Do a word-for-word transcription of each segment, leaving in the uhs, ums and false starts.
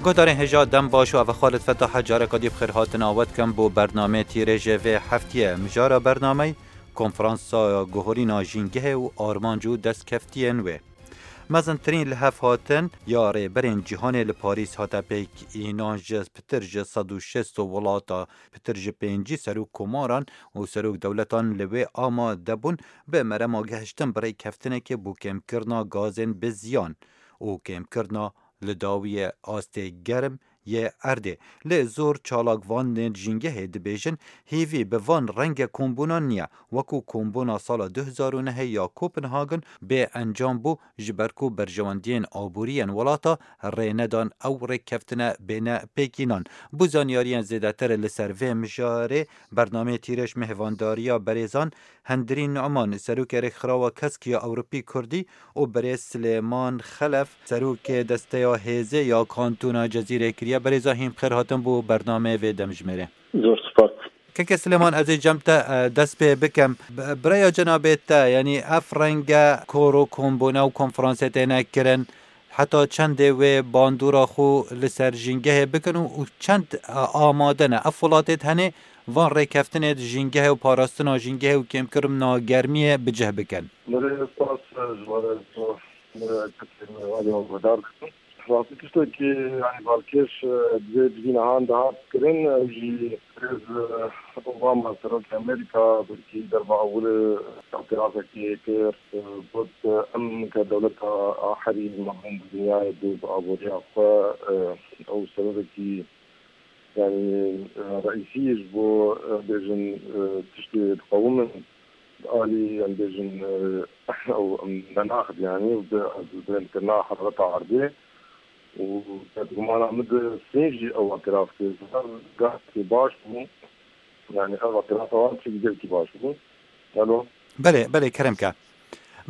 Guhdarên hêja dem baş û ev Xalid Fetah e, careka dî bi xêr hatina we dikim bo bernameyê tîrêjê vê heftiyê. Mijara bernameyê konferansa guhorîna jîngehê û armanc û destkeftiyên wê. Mezintirîn li hev hatin ya rêberên cîhanê li Parîs hate pêk, înan ji pitir ji sed û şêst welata, pitir ji pêncî serok komaran û serok dewletan li wê amade bûn bi merema gehiştin bi rêkeftinekê bo kêmkirina gazên bi ziyan û kêmkirina li dawiyê astê germ yê erdê. Lê zor çalakvanên jîngehê dibêjin, hêvî bi van renge kombûnan niye, wekû kombûna sala du hezar û nehê ya Kopenhagen bê encam bû, ji ber ku berjewendiyên aborî yên welata rê nedan ew rêkeftine bêne pêkînan. Bo zanyariyên zêdetir li ser vê mijarê, bernameyê tîrêj mêhvandariya berêzan Hendirîn Numan, serokê Rêkxirawa Kesk ya Ewropî Kurdî, û birêz Silêman Xelef, serokê Desteya Hêzê ya Kantona Cezîrê kiriye. Berêza hîn bi xêr hatin bo bernameyê vê demjimêrê. Zor spas. Keke Silêman, ez ê cem te, e, dest pê bikim. B-, bi raya cenabê te, yanî ev renge kor û kombûne û konferansê têne kirin, heta çendê wê bandora xwe li ser jîngehê bikin û, û çend, e, amade ne? Ev welatê tenê van rêkeftinê di jîngehê û parastina jîngehê û kêmkirina germiyê bi cih bikin. Belê, spas ji we re, spas ji we re, kesên me alî we guhdar dikin. Rastî tiştekî, yanî balkêş, e, divê civîna han dihat kirin, ew jî rêz, e, Obama, serokê Amerîka, belkî derba ewil, e, îtirafekî kir, e, got, e, em ke dewleta aherî mezin di dinyayê bû bi aboriya xwe, e, ew sebebekî, yanî, e, reîsî ji bo, e, bêjin, e, tiştê diqewimin, di alî, em bêjin, e, ew, em nenaxit, yanî, bi, bi bêndkirina herareta erdê û bedgumana min di sîn jî ew îtiraf kir. Gahekî baş bû, yanî, ev îtirafa wan tiştekî gelekî baş bû. Alo? Belê, belê, kerem ke.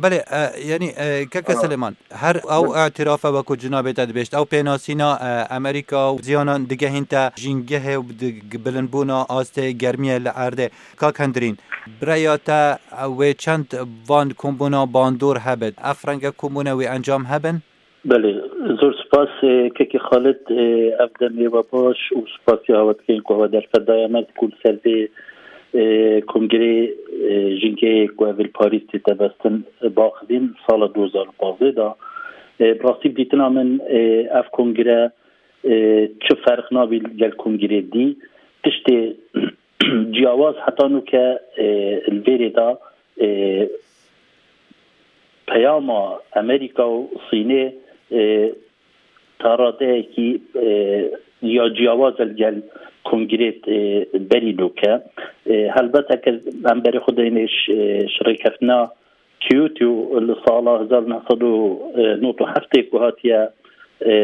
Belê, e, yanî, e, keke Silêman, her ew îtirafe wekû cinabê te dibêjt, ew pênasîna, e, Amerîka û ziyanan digehîn te jîngehê û di-, bilimbûna astê germiyê li erdê. Kak Hendirîn, bi raya te, e, wê çend van kombûna bandor hebit? Ev renge kombûne wê encam hebin? Belê, zor spas, e, kekê Xalid, e, ev demê we baş û spasiya we dikeyin ku we derfet daye me ku li ser vê, e, kongrê, e, jîngehê ku ev li Parîs tête bestin, e, baxivîn sala du hezar û pazdeh de. E, bi rastî bi dîtina min, e, ev kongre, e, çi ferq nabî gel kongrê dî. Tiştê ciyawaz heta nûke, e, li vêrê de, e, peyama Amerîka û Sînê, e, ta radeyekî, e, ya ciyawaz e li gel kongrê, e, berî nûke. E, helbet heke em berê xwe deyne ji, ji rêkeftina Kyoto li sala hezar neh sed û nod û heftê ku hatiye, e,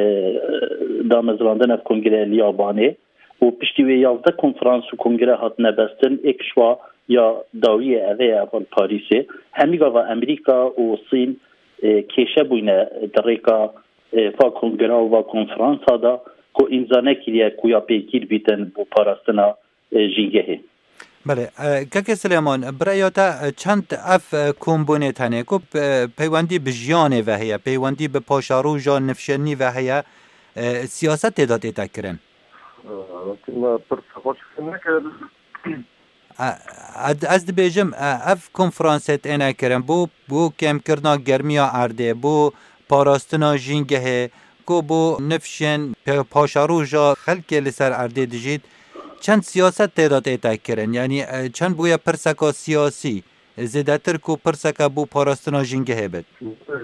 damezrandin ev kongre li Yabanê. û piştî wê yazdeh konferans û kongre hatine bestin, êk ji wa ya dawiyê ev ê, ev li Parîsê. Hemî gava Amerîka û Sîn, e, kêşe bûyne di rêka, e, va kongre û va konferansa de ku îmza nekiriye ku ya pêgîr bîtin bo parastina, e, jîngehê. Belê, e, kekê Silêman, bi raya te, e, çend ev, e, kombûnê tenê ku, e, peywendî bi jiyanê ve heye, peywendî bi paşeroja nifşênî ve heye, e, siyaset tê de tête kirin? Wekî me pirsa xwe çêkir nekir. E, ez, ez dibêjim, e, ev konferansê têne kirin bo, bo kêmkirina germiya erdê, bo parastina jîngehê, ku bo nifşên pe-, paşeroja xelkê li ser erdê dijît, çend siyaset tê de tête kirin? Yanî, e, çend bûye pirseka siyasî? Zêdetir ku pirseke bo parastina jîngehê bit.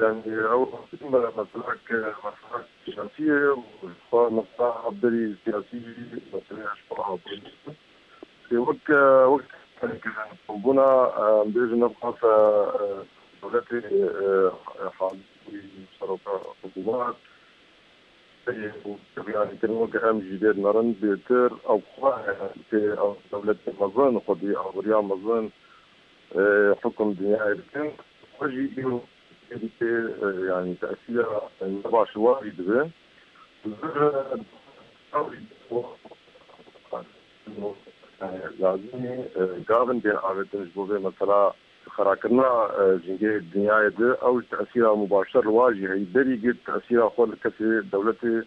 Yanî ew rastî me, meselek, meselek siyasî ye û xwe mesela berî siyasî jî meselek ji xwe abû. Wek, wek bûna, em bêjin ev xafe, e, dewletê, e, halî seroka hikûmet, yanî kirin weke em jî dê nerin bêtir, ew xwe, e, tê ew dewletê mezin, xwedî aboriya mezin, e, hukum dinyayê dikin. Xwe jî îro tê, e, yanî tesîra ne baş warî dibe. Zir, e, lazimî, e, gavin bên avêtin ji bo vê mesela xerakirina, e, jîngehê dinyayê de, ew ji tesîra mubaşer li wa jî heyî berî girt tesîra xwe li kesê dewletê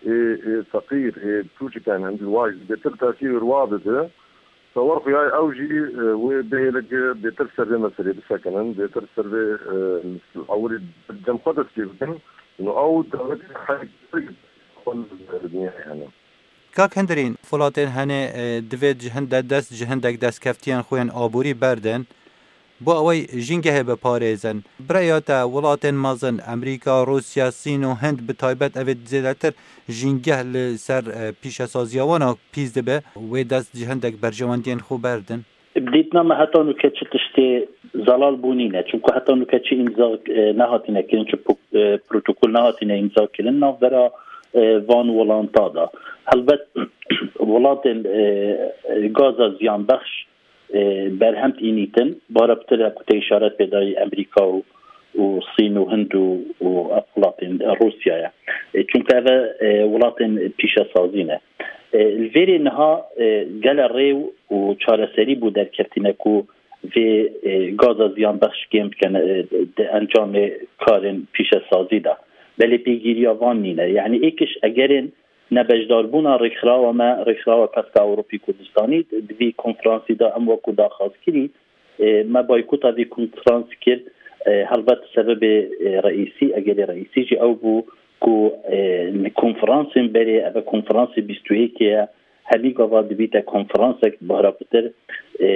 ê, ê feqîr, ê tûçiken, hindî waj bêtir tesîr wa bide. Sewar xuyay ew jî, e, wê bihêlike bêtir ser vê meselê bisekinin, bêtir ser vê, e, ewilî cem xwe dest pê bikin. Û ew dewletê heyk dinyayê hene. Kak Hindirîn, welatên hene, e, divê ji hinde dest ji hindek destkeftiyên xwe yên aborî berdin. Bo ewey jîngehê biparêzin. Bi rêya te welatên mezin, Amerîka, Rûsya, Sîn û Hind bi taybet evê zêdetir jîngeh li ser, e, pîşesaziya wan a pîs dibe, wê dest ji hindek berjewendiyên xwe berdin? Bi dîtina me heta nûke çi tiştê zelal bû nîne. Çunku heta nûke çi îmza, e, nehatine kirin, çi pu-, e, protokol nehatine îmza kirin navbera, e, van welanta da. Helbet welatên, e, e, gaza ziyanbexş e, berhem tînîtin, bara pitir e ku te îşaret pê dayî Amerîka û, û Sîn û Hind û, û ev welatên Rûsyaya. E, çunke ev e, welatên pîşesazî ne. E, li vêrê niha, e, gele rê û çareserî bû derketîne ku vê, e, gaza ziyanbexş kêm bikin, e, di encamê karên pîşesazî de. Belê pêgîriya van nîne. Yanî êkiş egerên nebeşdarbûna rêkxirawa me, rêkxirawa Peska Ewropî Kurdistanî, di vî konferansî de em wekû daxwazkirî, e, me boykota vî konferans kir. E, helbet sebebê, e, reîsî, egerê reîsî jî ew bû ku, e, li konferansên berê, ev konferansê bîst û yekê ye, hemî gava dibîte konferansek biharapitir, e,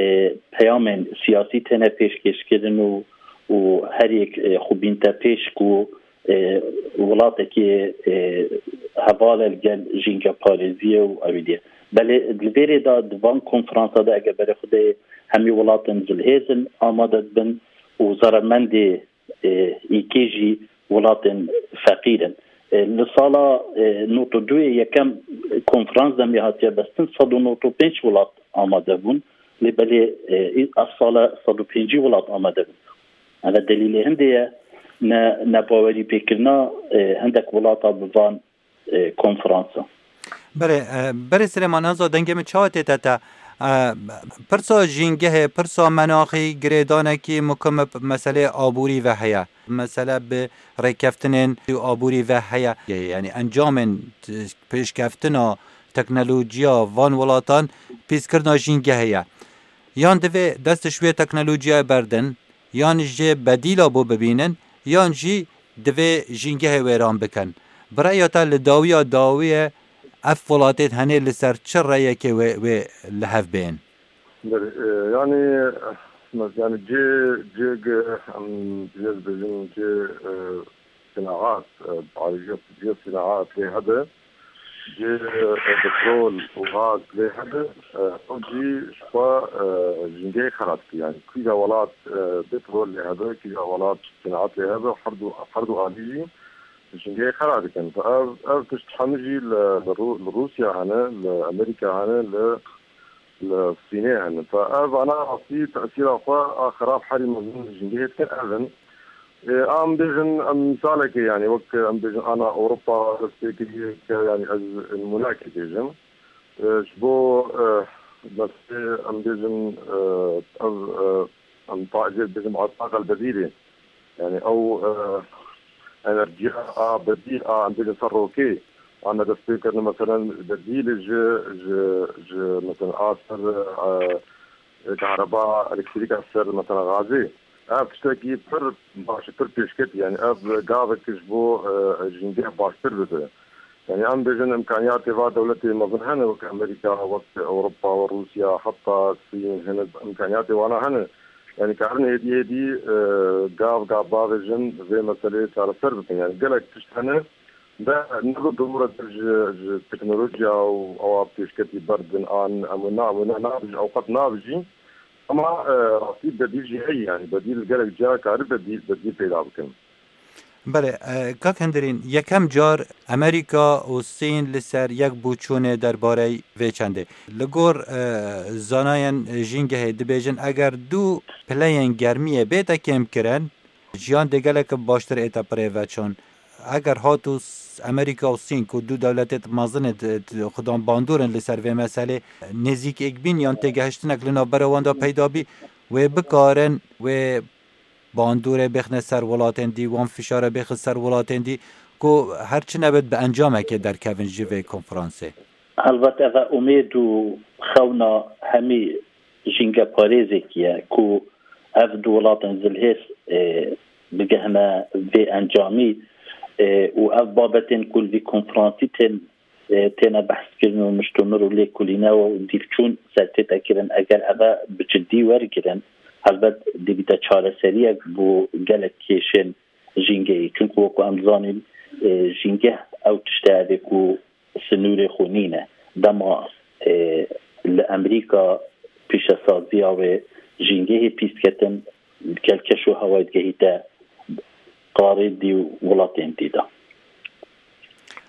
peyamên siyasî têne pêşkêşkirin û, û her yek, e, xwe bînte pêş ku e, welatekî, e, heval e li gel jîngeparêziyê û ewî diye. Belê di vêrê de di van konferansa de eger berê xwe de hemî welatên zilhêz in amade dibin û zeremendê, e, îkê jî welatên feqîr in. E, li sala, e, nod û duyê yekem konferans demê hatiye bestin, sed û nod û pênc welat amade bûn. Lê belê, e, ev sala sed û pêncî welat amade bûn. Eve delîlê hindê ye, ne, nebawerî pêkirina, e, hindek welata bi van, e, konferansa. Berê, e, berê Silêman, ez dengê min çawa tête te? E, pirsa jîngehê, pirsa menaxî, girêdanekî mukim bi meselê aborî ve heye. Mesele bi rêkeftinên aborî ve heye. Yanî encamên pêşkeftina teknolojiya van welatan pîskirina jîngehê ye. Yan divê dest ji wê teknolojiyayê berdin, yan jê bedîla bo bibînin, yan jî divê jîngehê wêran bikin. Bi reya te li dawiya dawiyê ev welatê henê li ser çi reyekê wê, wê li hev bên? Belê, e, yanî, e, yanî cê, cê ge, em, cê dibêjin cê, e, sinaat, e, ayrıca cê sinaat lê hebe, cê, e, petrol û gaz lê hebe, e, ew jî ji xwe, e, jîngehê xera dike. Yanî kîja welat, e, petrol lê hebe, kîja welat sinaat lê hebe, her du, her du alî jî jîngehê xera dikin. Ev, ev tişt hemû jî li, li Rû-, li Rûsya hene, li Amerîka hene, li li Sînê hene. Te ev ana rastî tesîra xwe a xirab herî mezin li jîngehê dikin ev in. Ê, em bêjin, em misalekê, yanî wek em bêjin ana Ewropa dest pê kiriye ke, yanî ez nimûnekê bêjim. Ê, ji bo, e, meselê em bêjin, e, ev, e, em ta-, jê bêjim a taqel bedîlê. Yanî ew, e, enerjiya a bedîl a em bêjin ser rokê, a me dest pê kirine, meselen, bedîl ji, ji, ji, meselen, a ser, e, kahreba elektrîk a ser, meselen, gazê. Ev tiştekî pir baş, pir pêşket, yanî ev gavek ji bo, e, jîngeh baştir bide. Yanî em bêjin îmkaniyatê va dewletê mezin hene, wek Amerîka, wek Ewropa, wek Rûsya, heta Sîn, hene îmkaniyatê wana hene. Yanî karin êdî êdî, e, gav gav bavêjin vê meseleyê çareser bikin. Yanî gelek tişt hene, de ne bi dûr e ji, ji teknolojiya û ewa pêşketî berdin an em wina, em wina nabijin, ew qet nabijî. Ama, e, rastî bedîl jî heye, yanî bedîl gelek cihê kari bedîl, bedîl peyda bikin. Belê, e, kak Hindirîn, yekem car Amerîka û Sîn li ser yek bû çûnê derbarey vê çendê. Li gor, e, zanayên jîngehê dibêjin, eger du pileyên germiyê bête kêmkirin, jiyan dê gelek baştir ête bi rê ve çûn. Eger hat û s-, Amerîka û Sîn ku du dewletê mezin ê di, di, xudan bandor in li ser vê meselê, nêzîkêkbîn yan têgehiştinek li navbera wan de peyda bî, wê bikarin, wê bandorê bêxine ser welatên dî, wan fişare bêxin ser welatên dî ku her çi nebit bi encamekê derkevin ji vê konferansê? Helbet ev e umêd û xewna hemî jîngeparêzekî ye ku ev du welatên zilhêz, e, bigihne vê encamî, e, û ev babetên ku li vî konferansî tên, e, têne behskirin û miştomir û lêkolîne û dîvçûn ser tête kirin, eger ev e bi cidî wergirin, helbet dibîte çareseriyek bo gelek kêşên jîngehî. Çunku wekî em zanîn, e, jîngeh ew tişt e, ev ê ku sinûrê xwe nîne. Dema, e, li Amerîka pîşesaziya wê jîngehê pîs ketin, gel keş û hewayê digehîte qarê dî û welatên dî de.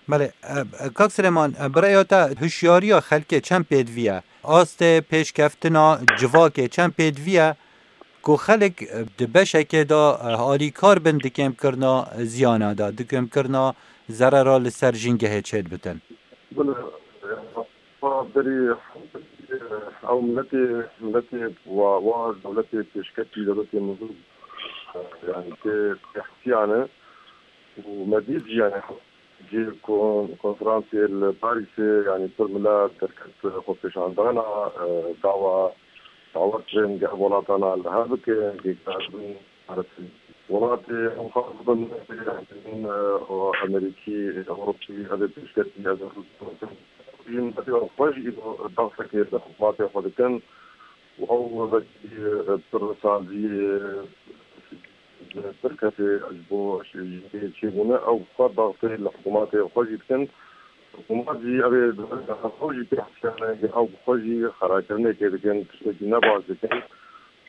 Belê, e, e, kak Silêman, e, bi rêya te hişyariya xelkê çend pêdivî ye? Astê pêşkeftina civakê çend pêdivî ye? Ku xelk, e, di beşekê de, e, alîkar bin di kêmkirina ziyana de, di kêmkirina zerera li ser jîngehê çêdibitin. Bila, e, berî, e, ew miletê, miletê wa, wa dewletê pêşketî, dewletê mezin, e, yani tê, tê hesiyane û me dî jî yani Cî kon-, konferansê li Parîsê, yanî pir mila derket xwepêşandana, e, dawa, dawa kirin gel welatana li hev bike, gel welatê ew xwe bin, e, o Amerîkî, Ewropî, ev ê pêşketî, ev ê Rûsya, miletê xwe jî îro daxekê li hikûmetê xwe dikin û ew wekî, e, pir saziyê, pir kesê ji bo jî çêbûne, ew xwe daxtê li hikûmetê xwe jî dikin. Hikûmet jî ev ê xwe jî pê hesiyane, ew bi xwe jî xerakirinekê dikin, tiştekî ne baş dikin.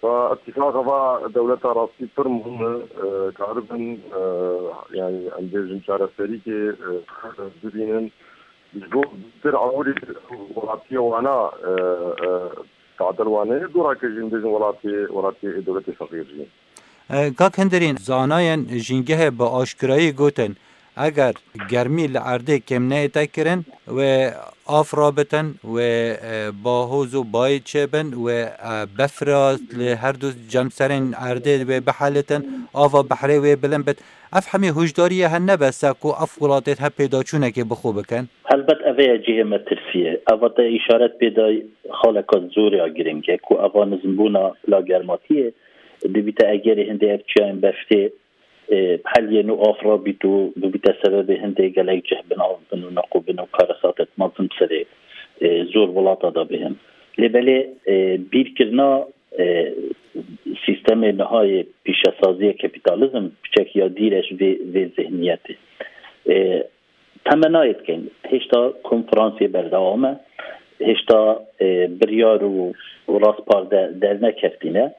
Fa îtîfaqa va dewleta rastî pir muhim e, e, karibin, e, yani em bêjin çareserîkê, e, bibînin. Ji bo pir awirî welatiyê wana, e, e, tadil wane, dora ke jî em bêjin welatê, welatê dewletê feqîr jî. E, Kak Hindirîn, zanayên jîngehê bi aşkirayî gotin, eger germî li erdê kêm neyête kirin, wê av rabitin, wê, e, bahoz û bayê çêbin, wê, e, befra li her du cemserên erdê wê bihelitin, ava behrê wê bilind bit. Ev hemî hûşdariyê hene bes e ku ev welatên hev pêdaçûnekê bi xwe bikin? Helbet ev ê cihê metirsiyê. Eva te îşaret pê da xaleka zorê ya giring e ku eva nizmbûna pila germatiyê dibîte egerê hindê ev çiyayên beftê, e, heliyên û av rabît û bibîte sebebê hindê gelek cih bin av bin û neqû bin û karesatet mezin serê, e, zor welata da bihên. Lê belê, e, bîrkirina, e, sîstemê niha yê pîşesaziyê kapîtalîzm piçek ya dîr e ji vê, vê zihniyetê. E, Temenayê dikin, hêşta konferansê berdewam e, hêşta, e, biryar û, û raspar de dernekeftîne.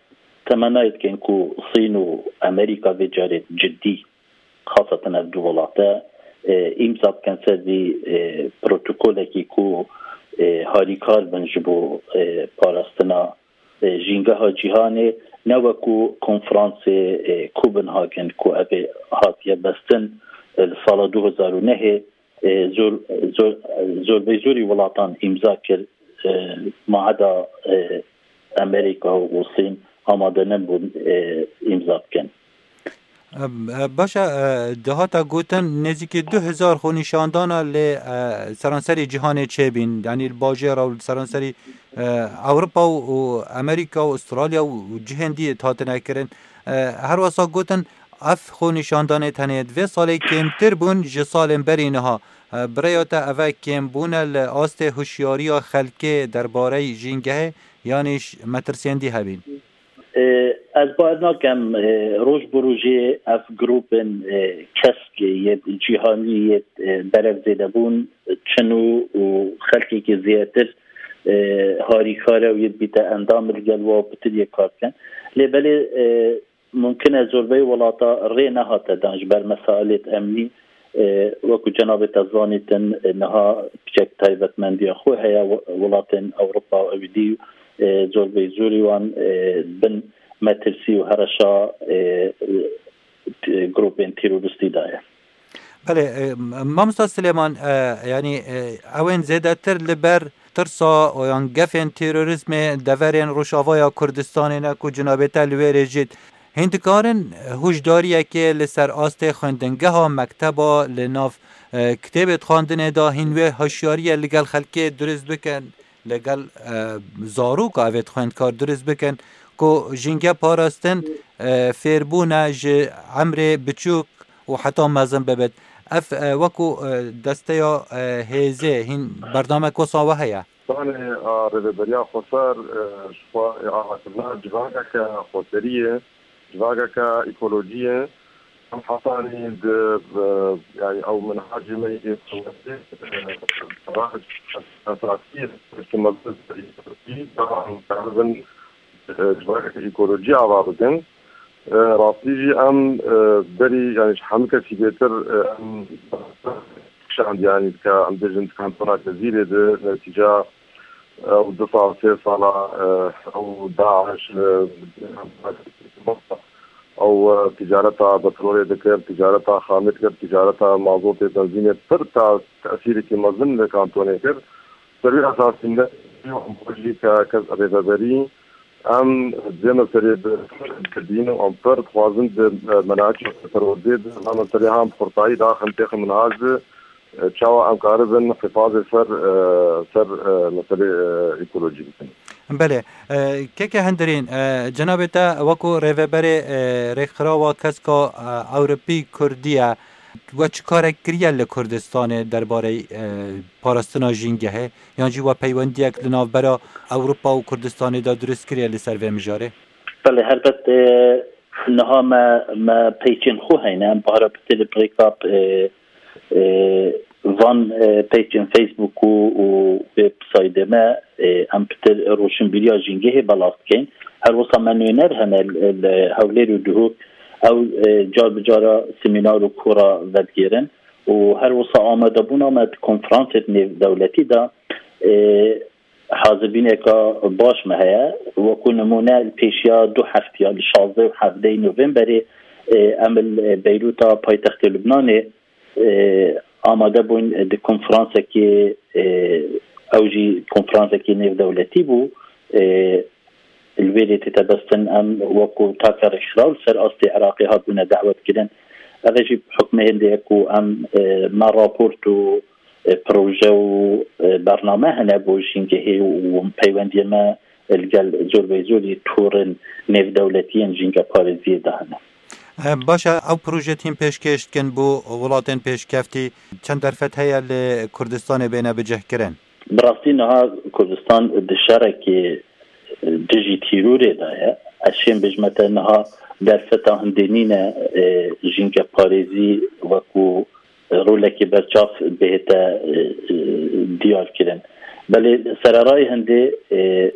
Temenayê dikin ku Sîn û Amerîka vê carê cidî, xaseten ev du welate, e, îmza bikin ser vî, e, protokolekî ku, e, harîkar bin ji bo, e, parastina e, jîngeha cîhanê, ne wekû konferansê, e, Copenhagen ku ev ê hatiye bestin, e, li sala du hezar û nehê, e, zor, zor, zorbeyzorî welatan îmza kir, e, maheda, e, Amerîka û Sîn amade nebûn, e, îmza bikin. E, e, baş e, e, dihata gotin nêzîkî du hezar xwenîşandana li, e, seranserê cîhanê çêbîn, yanî li bajêra û li seranserî, e, Ewropa û, û Amerîka û Australya û, û cihên dî hatine kirin. E, her wesa gotin ev xwenîşandanê tenê di vê salê kêmtir bûn ji salên berî niha. E, bi rêya te ev e kêmbûn e li astê hişyariya xelkê derbarey jîngehê, yanî ş-, metirsiyên dî hebîn? E, ez bawer nakem, e, roj bi rojê ev grûpên, e, kesk yê cîhanî yê, e, berev zêdebûn çin û, û xelkekî zêdetir, e, harîkar e û yê dibîte endam li gel wa pitir yê kar bikin. Lê belê, e, mumkin e zorbeyî welata rê nehate dan ji ber mesailêt emnî, e, wekû cenabê te zanîtin, e, niha piçek taybetmendiya xwe heye, we-, welatên Ewropa û ewî dî, e, zorbeyî zorî wan, e, bin metirsî û hereşa, e, e, grûpên terorîstî de ye. Belê, e, mamosta Silêman, e, yanî, e, ew ên zêdetir li ber tirsa û yan gefên terorîzmê deverên Rojavaya Kurdistanê ne ku cenabê te li wê rê jî Hîn dikarin hûşdariyekê li ser astê xwendingeha mekteba li nav, e, kitêbê dixwendinê de hîn wê hişyariyê li gel xelkê dirist bikin, li gel, e, zaroka evê xwendkar dirist bikin ku jînge parastin, e, fêrbûn e ji emrê biçûk û heta mezin bibit. Ev, e, wekû, e, desteya, e, hêzê hîn bernamek wisa we heye? Danê a Rêveberiya Xweser, e, ji xwe ê avakirina civakeke xweseriyê, civakeke ekolojiyê. Em hetanî di, e, yani ew minhacê me yê xweseriyê, e, esasî ye, ki mezin serî, da em karibin, e, civakeke ekolojî ava bikin. E, rastî jî em, e, berî, yani ji hemû kesî bêtir, e, em kişand, yani dike, em bêjin di kantona Cezîrê de netîca, e, ew du sal, sê sala, e, ew DAIŞ, e, ew, e, ticareta petrolê dikir, ticareta xamê dikir, ticareta mazotê, benzînê pir ta tesîrekî mezin li kantonê kir. Ser wî esasî ne jî ke kes rêveberî em dê meselê bi didîn û em pir dixwazin di, e, menaçê perwerdê de va meselê han bi xurtayî daxin têxin minhaj de, e, çawa em karibin hifazê ser, e, ser, e, meselê, e, ekolojî bikin. Belê, e, keke Hindirîn, e, cenabê te wekû rêveberê, e, Rêkxirawa Keska, e, Ewropî Kurdî ye. We çi karek kiriye li Kurdistanê derbarê, e, parastina jîngehê? Yan jî we peywendiyek li navbera Ewropa û Kurdistanê de dirust kiriye li ser vê mijarê? Belê, helbet, e, niha me, me peyçên xwe heyne. Em bahra pitir bi rêka, e, e, van, e, peyçên Facebook û, û websaytê me, e, em pitir roşinbîriya jîngehê belav dikeyn. Her wisa me nûner hene li, li Hewlêr û Duhok. Ew, e, car bi cara semînar û kora vedigêrin. Û her wisa amadebûna me di konferansê nêvdewletî de, e, hazirbîneka baş me heye. Wekû nimûne li pêşiya du heftiya, li şazdeh û hevdehê Novemberê, e, em li Beyrûta paytextê Lubnanê, e, amade bûn di konferansekê, e, ew jî konferansekê nêvdewletî bû. E, li wê rê tête bestin em wekû taka rêkxiraw li ser astê Iraqê hatbûne dawetkirin. Ev e jî hukmê hindê ye ku em, e, me raport û, e, proje û, e, bername hene bo jîngehê û peywendiyê me li gel zorbeyzorî torên nêvdewletiyên jîngeparêziyê de hene. E, baş e, ew proje tîn pêşkêş dikin bo welatên pêşkeftî, çend derfet heye li Kurdistanê bêne bicihkirin? Bi rastî niha Kurdistan di şerekê dijî tîrorê de ye. Ez şêm bêjme te niha derfeta hindê nîne, e, jîngeparêzî wekû rolekê berçav bihête, e, e, diyar kirin. Belê sererayê hindê, e,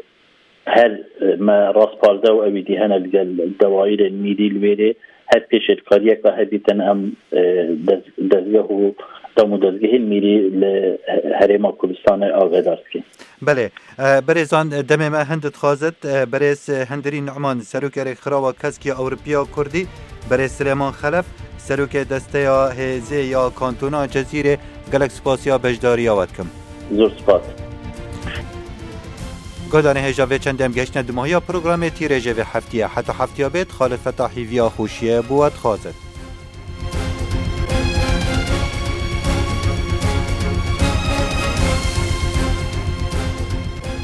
her, e, me rastparze û ewî dî hene li gel dewayirên mîrî li wêrê her pêşêtkariyeka hebîtin em, e, dez-, dezgeh û dem û dezgehên mîrî li Herêma Kurdistanê agahedar dikin. Belê, e, berêzan, demê me hin dixwazit, e, berêz Hindirî Numan, serokê Rêkxirawa Keskiya Ewropiya Kurdî, berêz Silêman Xelef, serokê Desteya Hêzê ya Kantona Cezîrê, gelek spasiya beşdariya we dikim. Zor spas. Guhdarên hêja vê çendê em gehiştine dimahiya programê tîrêjê vê heftiyê. Heta heftiya bêt, Xalid Fetahî viya xweşiyê bo we dixwazit.